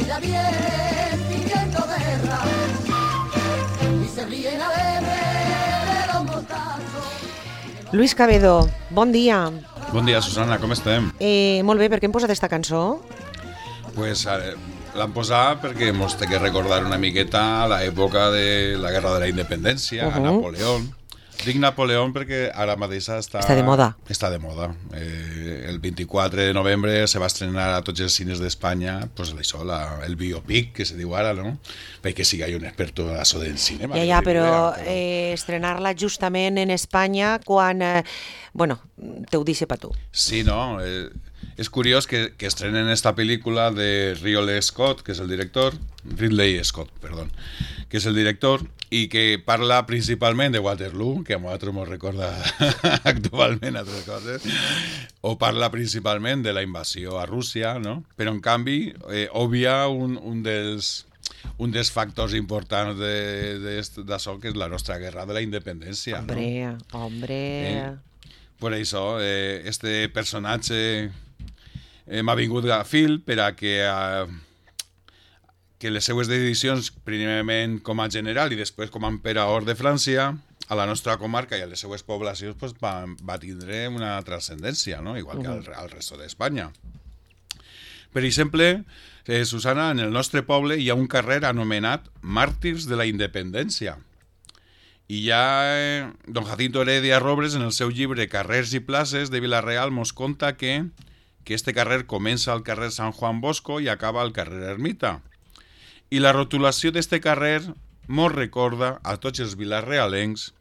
enseguida vienen pidiendo guerra y se ríen alegres de los mostazos. Luis Cabedo, bon dia. Bon dia, Susana, com estem? Molt bé, per què hem posat esta cançó? Pues l'han posat perquè mos té que recordar una miqueta l'època de la Guerra de la Independència, a Napoleón. Dic Napoleón perquè ara mateix està de moda. Està de moda. El 24 de novembre se va estrenar a tots els cines d'Espanya pues això, el biopic, que se diu ara, no? Perquè sí que hi ha un experto en això del cinema. Ja, però estrenar-la justament en Espanya quan... Bueno, te ho deixo per tu. Sí, no? És curiós que estrenen esta pel·lícula de Ridley Scott, que és el director, que és el director, i que parla principalment de Waterloo, que a nosaltres ens recorda actualment altres coses, o parla principalment de la invasió a Rússia, no? Però en canvi obvia un dels factors importants d'això, que és la nostra guerra de la independència. Hombre. Per això, este personatge m'ha vingut a fil per a que les seues decisions, primerament com a general i després com a emperador de França, a la nostra comarca i a les seues poblacions pues, va tindre una transcendència, no? Igual que al resto d'Espanya. Per exemple, Susana, en el nostre poble hi ha un carrer anomenat Màrtirs de la Independència. I ja don Jacinto Heredia Robles, en el seu llibre Carrers i places de Vila-real, mos conta que este carrer comença al carrer Sant Juan Bosco i acaba al carrer Ermita. I la rotulació d'este carrer mos recorda a tots els vilarealencs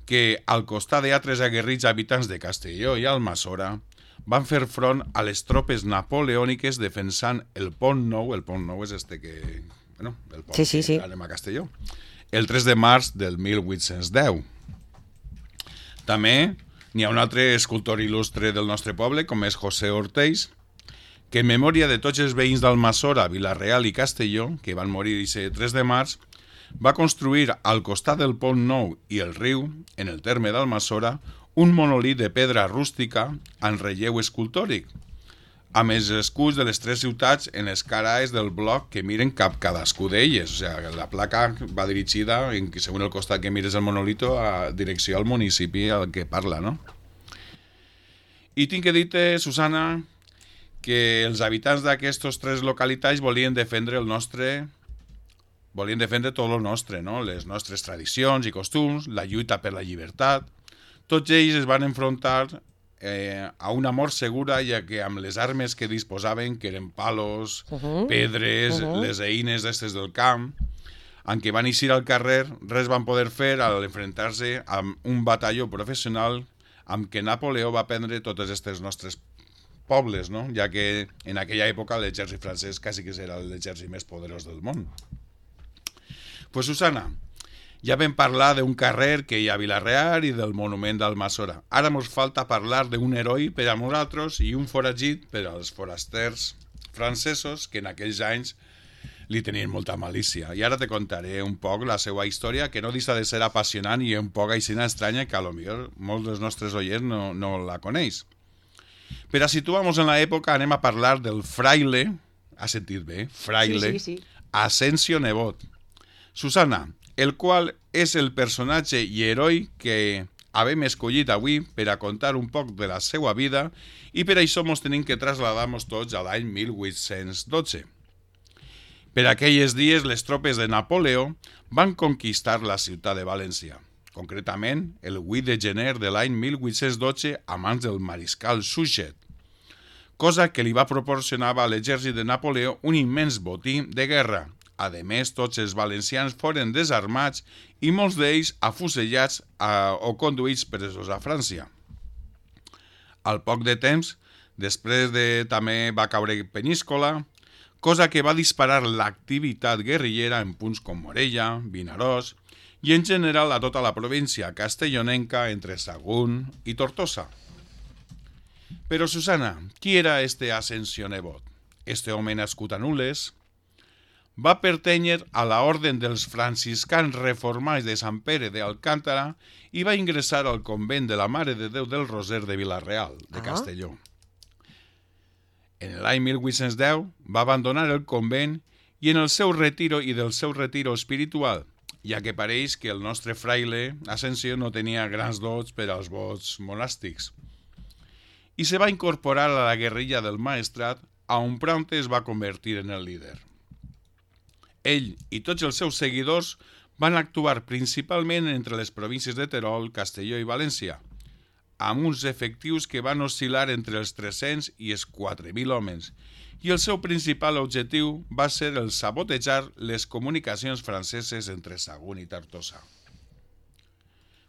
que al costat d'altres aguerrits habitants de Castelló i Almassora van fer front a les tropes napoleòniques defensant el Pont Nou. El Pont Nou és este que... Bueno, el pont que anem a Castelló. El 3 de març del 1810. També n'hi ha un altre escultor il·lustre del nostre poble, com és José Ortells, que en memòria de tots els veïns d'Almassora, Vila-real i Castelló, que van morir aquest 3 de març, va construir al costat del Pont Nou i el riu, en el terme d'Almassora, un monòlit de pedra rústica en relleu escultòric, amb els escuts de les tres ciutats en les cares del bloc que miren cap cadascú d'elles. O sigui, la placa va dirigida, segons el costat que mires el monolito, a direcció al municipi al que parla, no? I tinc que dir-te, Susana, que els habitants d'aquestes tres localitats volien defendre tot el nostre, no? Les nostres tradicions i costums, la lluita per la llibertat. Tots ells es van enfrontar a una mort segura, ja que amb les armes que disposaven, que eren palos, pedres, les eines d'estes del camp, en què van eixir al carrer, res van poder fer al enfrontar-se amb un batalló professional amb què Napoleó va prendre totes aquestes nostres pobles, no? Ja que en aquella època l'exèrcit francès quasi que era l'exèrcit més poderós del món. Pues Susana, ja vam parlar d'un carrer que hi ha a Vila-real i del monument d'Almassora. Ara ens falta parlar d'un heroi per a nosaltres i un foragit per als forasters francesos que en aquells anys li tenien molta malícia. I ara te contaré un poc la seva història, que no deixa de ser apassionant i un poc aixina estranya, que potser molts dels nostres oients no la coneix. Per a situar-nos en l'època anem a parlar del fraile, has sentit bé? Fraile, sí. Asensio Nebot. Susana, el qual és el personatge i heroi que hem escollit avui per a contar un poc de la seva vida i per això ens tenim que traslladar-nos tots a l'any 1812. Per aquells dies, les tropes de Napoleó van conquistar la ciutat de València, concretament el 8 de gener de l'any 1812 a mans del mariscal Suchet, cosa que li va proporcionar a l'exèrcit de Napoleó un immens botí de guerra. A més, tots els valencians foren desarmats i molts d'ells afusellats o conduïts presos a França. Al poc de temps, després també va caure Peníscola, cosa que va disparar l'activitat guerrillera en punts com Morella, Vinaròs i en general a tota la província castellonenca entre Sagunt i Tortosa. Però, Susana, qui era este Asensio Nebot? Este home nascut a Nules va pertànyer a la orden dels franciscans reformats de Sant Pere d'Alcántara i va ingressar al convent de la Mare de Déu del Roser de Vila-real, de Castelló. En l'any 1810 va abandonar el convent i en el seu retiro i del seu retiro espiritual, ja que pareix que el nostre fraile Asensio no tenia grans dots per als vots monàstics. I se va incorporar a la guerrilla del Maestrat, on pront es va convertir en el líder. Ell i tots els seus seguidors van actuar principalment entre les províncies de Terol, Castelló i València, amb uns efectius que van oscil·lar entre els 300 i els 4.000 homes, i el seu principal objectiu va ser el sabotejar les comunicacions franceses entre Sagunt i Tortosa.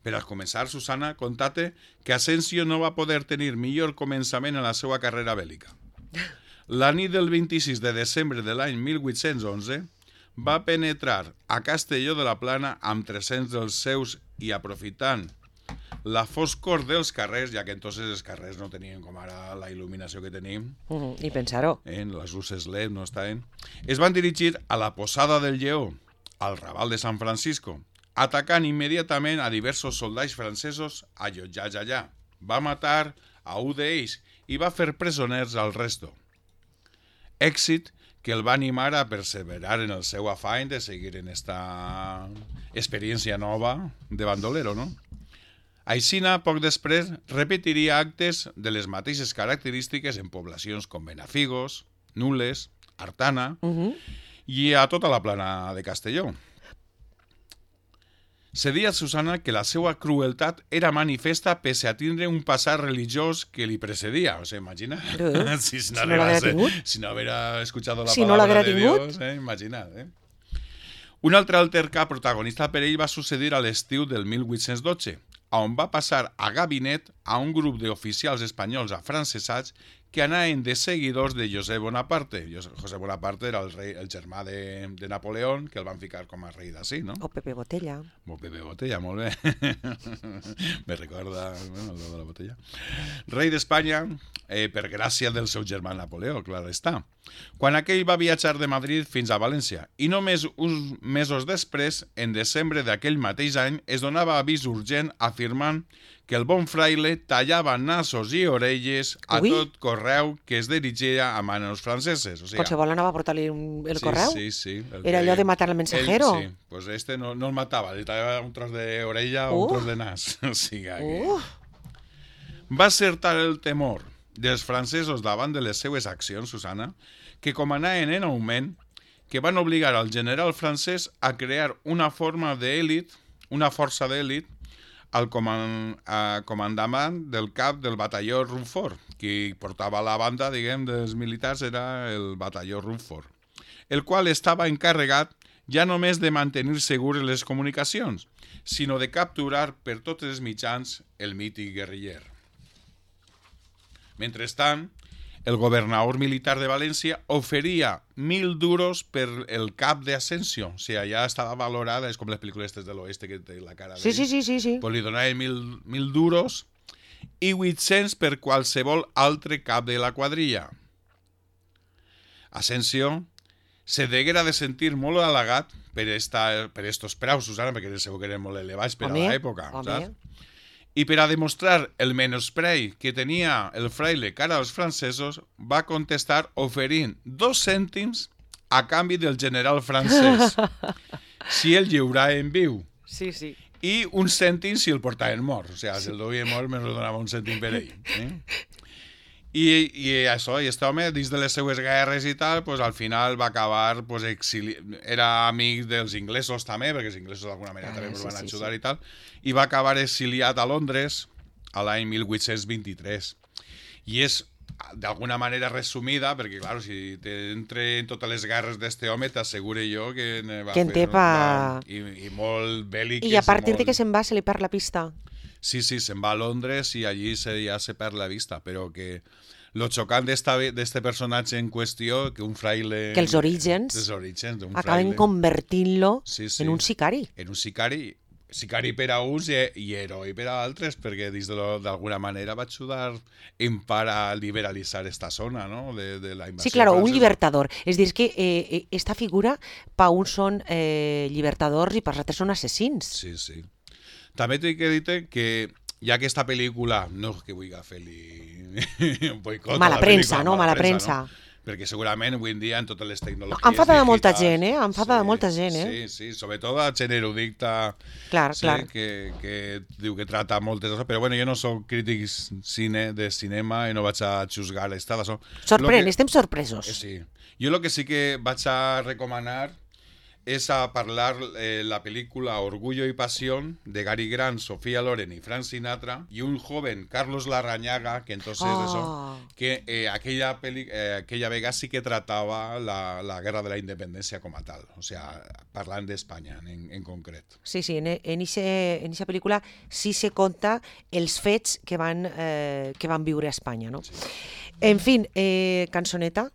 Per a començar, Susana, contate que Asensio no va poder tenir millor començament en la seva carrera bèl·lica. La nit del 26 de desembre de l'any 1811 va penetrar a Castelló de la Plana amb 300 dels seus i aprofitant la foscor dels carrers, ja que entonces els carrers no tenien com ara la il·luminació que tenim. I pensar-ho. Les luces LED no estaven. Es van dirigir a la Posada del Lleó, al Raval de San Francisco, atacant immediatament a diversos soldats francesos allotjats allà. Va matar a un d'ells i va fer presoners al resto. Èxit que el va animar a perseverar en el seu afany de seguir en esta experiència nova de bandolero, no? Aixina, poc després, repetiria actes de les mateixes característiques en poblacions com Benafigos, Nules, Artana i a tota la plana de Castelló. Se deia, Susana, que la seva crueltat era manifesta pese a tindre un passat religiós que li precedia. O sea, imagina. Si no hubiera escuchado la palabra de Dios, imagina. Un altre altercat protagonista per ell va succeir a l'estiu del 1812, on va passar a gabinet a un grup d'oficials espanyols afrancesats que anaven de seguidors de José Bonaparte. José Bonaparte era el germà de Napoleón, que el van ficar com a rei d'ací, no? O Pepe Botella. O Pepe Botella, molt bé. Me recorda el de la botella. Rei d'Espanya, per gràcia del seu germà Napoleó, clar està. Quan aquell va viatjar de Madrid fins a València, i només uns mesos després, en desembre d'aquell mateix any, es donava avís urgent afirmant que el bon fraile tallava nassos i orelles a tot correu que es dirigia a manos franceses. O sea, qualsevol anava a portar-li el correu? Sí. Era allò de matar al mensajero? Sí, pues no el matava, li tallava un tros d'orella o un tros de nas. O sigui que... Va ser tal el temor dels francesos davant de les seues accions, Susana, que com anaven en augment, que van obligar al general francès a crear una forma d'èlit, una força d'èlit, al comandament del cap del batalló Rumford. Qui portava la banda, diguem, dels militars era el batalló Rumford, el qual estava encarregat ja només de mantenir segures les comunicacions, sinó de capturar per tots els mitjans el mític guerriller. Mentrestant, el governador militar de València oferia 1.000 duros per el cap de Asensio. O sigui, ja estava valorada, és com les pel·lícules de l'oeste que té la cara d'ell. Sí. Pues li donaven 1.000 duros i 800 per qualsevol altre cap de la quadrilla. Asensio se deguera de sentir molt halagat per estos preus, Susana, perquè segur que eren molt elevats per a l'època, saps? I per a demostrar el menyspreu que tenia el fraile cara als francesos, va contestar oferint 2 cèntims a canvi del general francès, si el lliurava en viu. Sí. I 1 cèntim si el portaven mort. O sigui, si el duia mort, me donava 1 cèntim per ell. I això, i aquest home, dins de les seues guerres i tal, pues, al final va acabar era amic dels inglesos també, perquè els inglesos d'alguna manera també el van ajudar i tal, i va acabar exiliat a Londres a l'any 1823. I és d'alguna manera resumida, perquè, clar, si t'entre en totes les guerres d'este home, t'assegure jo que va fer... I molt bèl·liques. I a partir de que se'n va, se li perd la pista. Sí, se'n va a Londres i allí ja se perd la vista, però que lo xocant d'este personatge en qüestió, que un fraile... Que els orígens acaben convertint-lo en un sicari. En un sicari per a uns i heroi per a altres, perquè d'alguna manera va ajudar en part a liberalitzar esta zona, no?, de la invasió. Sí, claro, un libertador. És dir, que esta figura, pa uns són libertadors i per altres són assassins. Sí. També t'he de dir que ja aquesta pel·lícula, no que vull fer-li un boicot mala premsa, no? Mala premsa. perquè segurament avui en dia en totes les tecnologies Enfada de molta digitals- gent, enfada de molta gent, Sí, sí, sobretot a gent erudita Clar, clar. que diu que trata moltes coses, però bueno, jo no soc crític de cinema i no vaig a juzgar l'estada. Sorprèn, estem sorpresos. Sí. Jo el que sí que vaig a recomanar es a parlar la película Orgullo y Pasión de Gary Grant, Sofía Loren y Frank Sinatra y un joven Carlos Larrañaga que entonces aquella vega sí que trataba la guerra de la independencia como tal, o sea, parlant d'Espanya en concret. Sí, sí, en eixa pel·lícula sí se conta els fets que van viure a Espanya, no? Sí. En fin, cançoneta.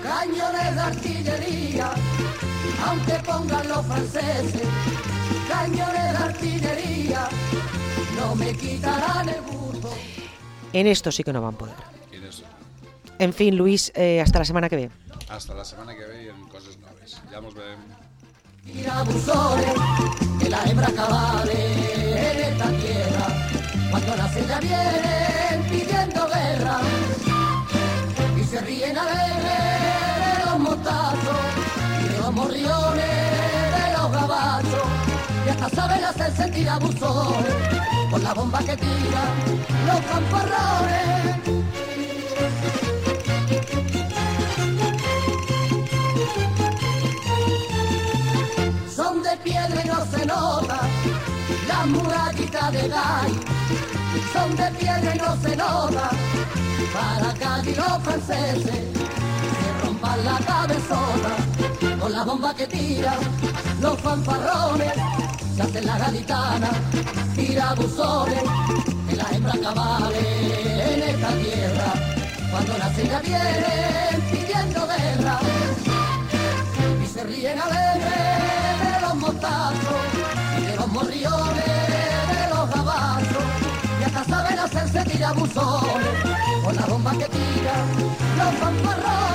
Cañones de artillería, aunque pongan los franceses, cañones de artillería, no me quitarán el gusto. En esto sí que no van poder. En eso. En fin, Luis, hasta la semana que ve. Hasta la semana que ve y en cosas nuevas. Ya nos vemos. Tirabuzones, que la hembra cabale en esta tierra, cuando las ya vienen pidiendo guerra, y se ríen alegres de los mostazos, y de los morriones, de los gabachos, y hasta saben hacerse tirabuzones, con la bomba que tiran los fanfarrones. Son de piedra y no se nota las murallitas de Gai. Son de piedra y no se nota para que y los franceses se rompan la cabezona con la bomba que tiran los fanfarrones. Se hacen la gaditana, tirabuzones, que la hembra cabale en esta tierra. Cuando nacen ya vienen pidiendo guerra y se ríen alegres de los mostazos y de los morriones, de los gabachos, y hasta saben hacerse tirabuzones con la bomba que tiran los fanfarrones.